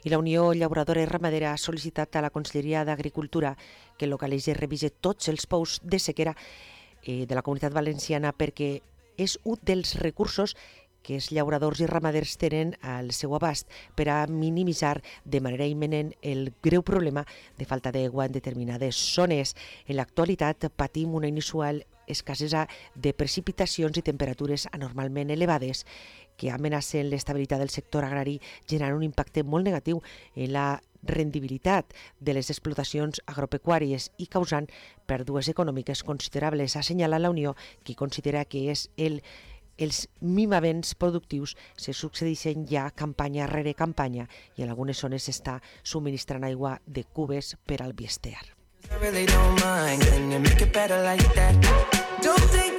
I la Unió Llauradora i Ramadera ha sol·licitat a la Conselleria d'Agricultura que localitzi i revise tots els pous de sequera de la Comunitat Valenciana perquè és un dels recursos que els llauradors i ramaders tenen al seu abast per a minimitzar de manera imminent el greu problema de falta d'aigua en determinades zones. En l'actualitat patim una inusual escassesa de precipitacions i temperatures anormalment elevades que amenacen l'estabilitat del sector agrari, generant un impacte molt negatiu en la rendibilitat de les explotacions agropecuàries i causant pèrdues econòmiques considerables. Assenyala la Unió, que considera que és els mimaments productius se succeeixen ja campanya rere campanya i en algunes zones s'està subministrant aigua de cubes per al Biester. I really don't mind. Can you make it better like that? Don't think